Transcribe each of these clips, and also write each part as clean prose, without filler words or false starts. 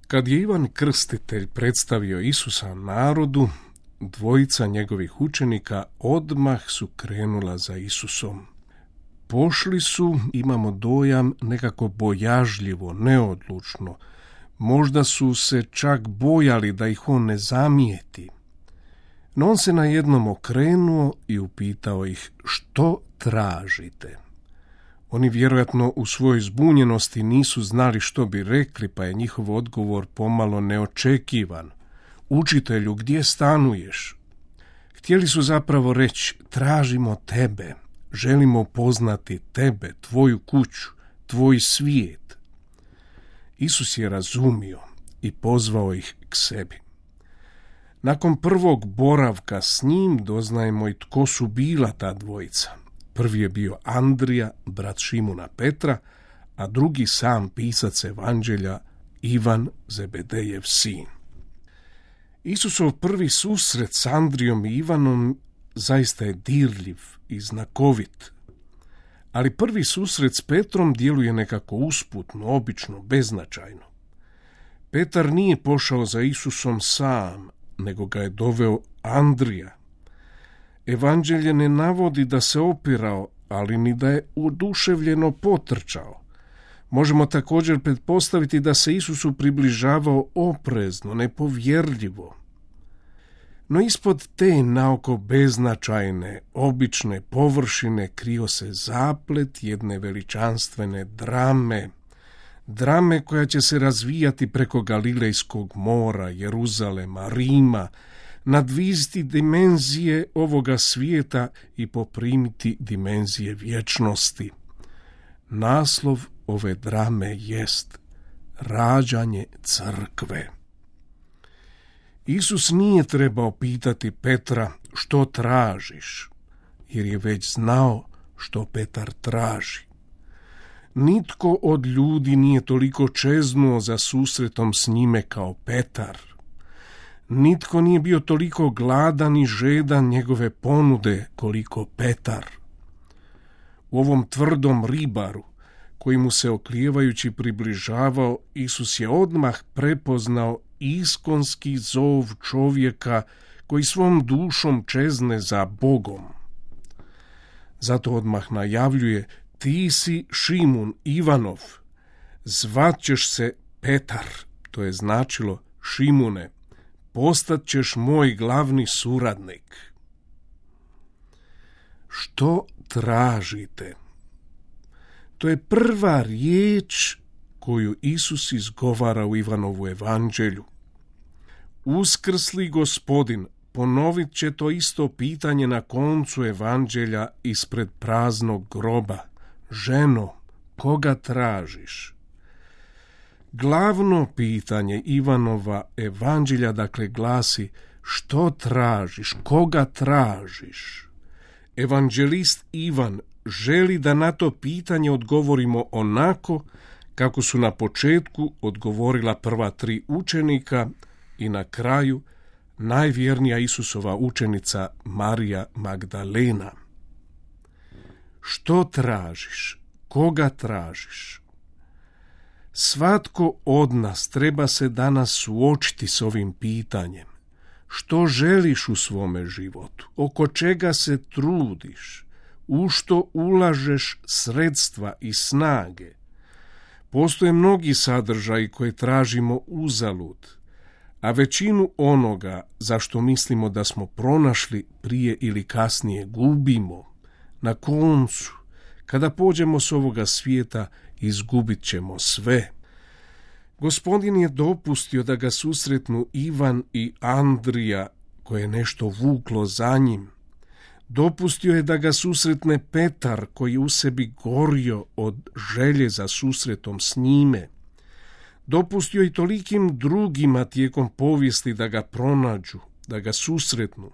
Kad je Ivan Krstitelj predstavio Isusa narodu, dvojica njegovih učenika odmah su krenula za Isusom. Pošli su, imamo dojam, nekako bojažljivo, neodlučno. Možda su se čak bojali da ih on ne zamijeti. No on se najednom okrenuo i upitao ih: što tražite? Oni vjerojatno u svojoj zbunjenosti nisu znali što bi rekli, pa je njihov odgovor pomalo neočekivan. Učitelju, gdje stanuješ? Htjeli su zapravo reći: tražimo tebe, želimo poznati tebe, tvoju kuću, tvoj svijet. Isus je razumio i pozvao ih k sebi. Nakon prvog boravka s njim doznajemo i tko su bila ta dvojica. Prvi je bio Andrija, brat Šimuna Petra, a drugi sam pisac evanđelja Ivan, Zebedejev sin. Isusov prvi susret s Andrijom i Ivanom zaista je dirljiv i znakovit, ali prvi susret s Petrom djeluje nekako usputno, obično, beznačajno. Petar nije pošao za Isusom sam, nego ga je doveo Andrija. Evanđelje ne navodi da se opirao, ali ni da je oduševljeno potrčao. Možemo također pretpostaviti da se Isusu približavao oprezno, nepovjerljivo. No ispod te naoko beznačajne, obične površine krio se zaplet jedne veličanstvene drame koja će se razvijati preko Galilejskog mora, Jeruzalema, Rima, nadviziti dimenzije ovoga svijeta i poprimiti dimenzije vječnosti. Naslov ove drame jest rađanje crkve. Isus nije trebao pitati Petra: što tražiš, jer je već znao što Petar traži. Nitko od ljudi nije toliko čeznuo za susretom s njime kao Petar. Nitko nije bio toliko gladan i žedan njegove ponude koliko Petar. U ovom tvrdom ribaru, koji mu se oklijevajući približavao, Isus je odmah prepoznao iskonski zov čovjeka koji svom dušom čezne za Bogom. Zato odmah najavljuje: ti si Šimun Ivanov, zvat ćeš se Petar, to je značilo: Šimune, postat ćeš moj glavni suradnik. Što tražite? To je prva riječ koju Isus izgovara u Ivanovu evanđelju. Uskrsli Gospodin ponovit će to isto pitanje na koncu evanđelja ispred praznog groba: ženo, koga tražiš? Glavno pitanje Ivanova evanđelja dakle glasi: što tražiš, koga tražiš? Evanđelist Ivan želi da na to pitanje odgovorimo onako kako su na početku odgovorila prva 3 učenika i na kraju najvjernija Isusova učenica Marija Magdalena. Što tražiš? Koga tražiš? Svatko od nas treba se danas suočiti s ovim pitanjem. Što želiš u svome životu? Oko čega se trudiš? U što ulažeš sredstva i snage? Postoje mnogi sadržaji koje tražimo uzalud, a većinu onoga za što mislimo da smo pronašli prije ili kasnije gubimo. Na koncu, kada pođemo s ovoga svijeta, izgubit ćemo sve. Gospodin je dopustio da ga susretnu Ivan i Andrija, koje je nešto vuklo za njim. Dopustio je da ga susretne Petar, koji je u sebi gorio od želje za susretom s njime. Dopustio i tolikim drugima tijekom povijesti da ga pronađu, da ga susretnu.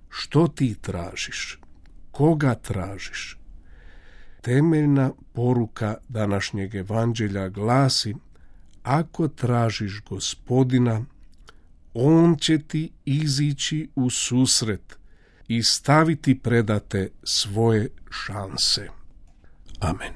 Što ti tražiš? Koga tražiš? Temeljna poruka današnjeg evanđelja glasi: ako tražiš Gospodina, on će ti izići u susret i staviti predate svoje šanse. Amen.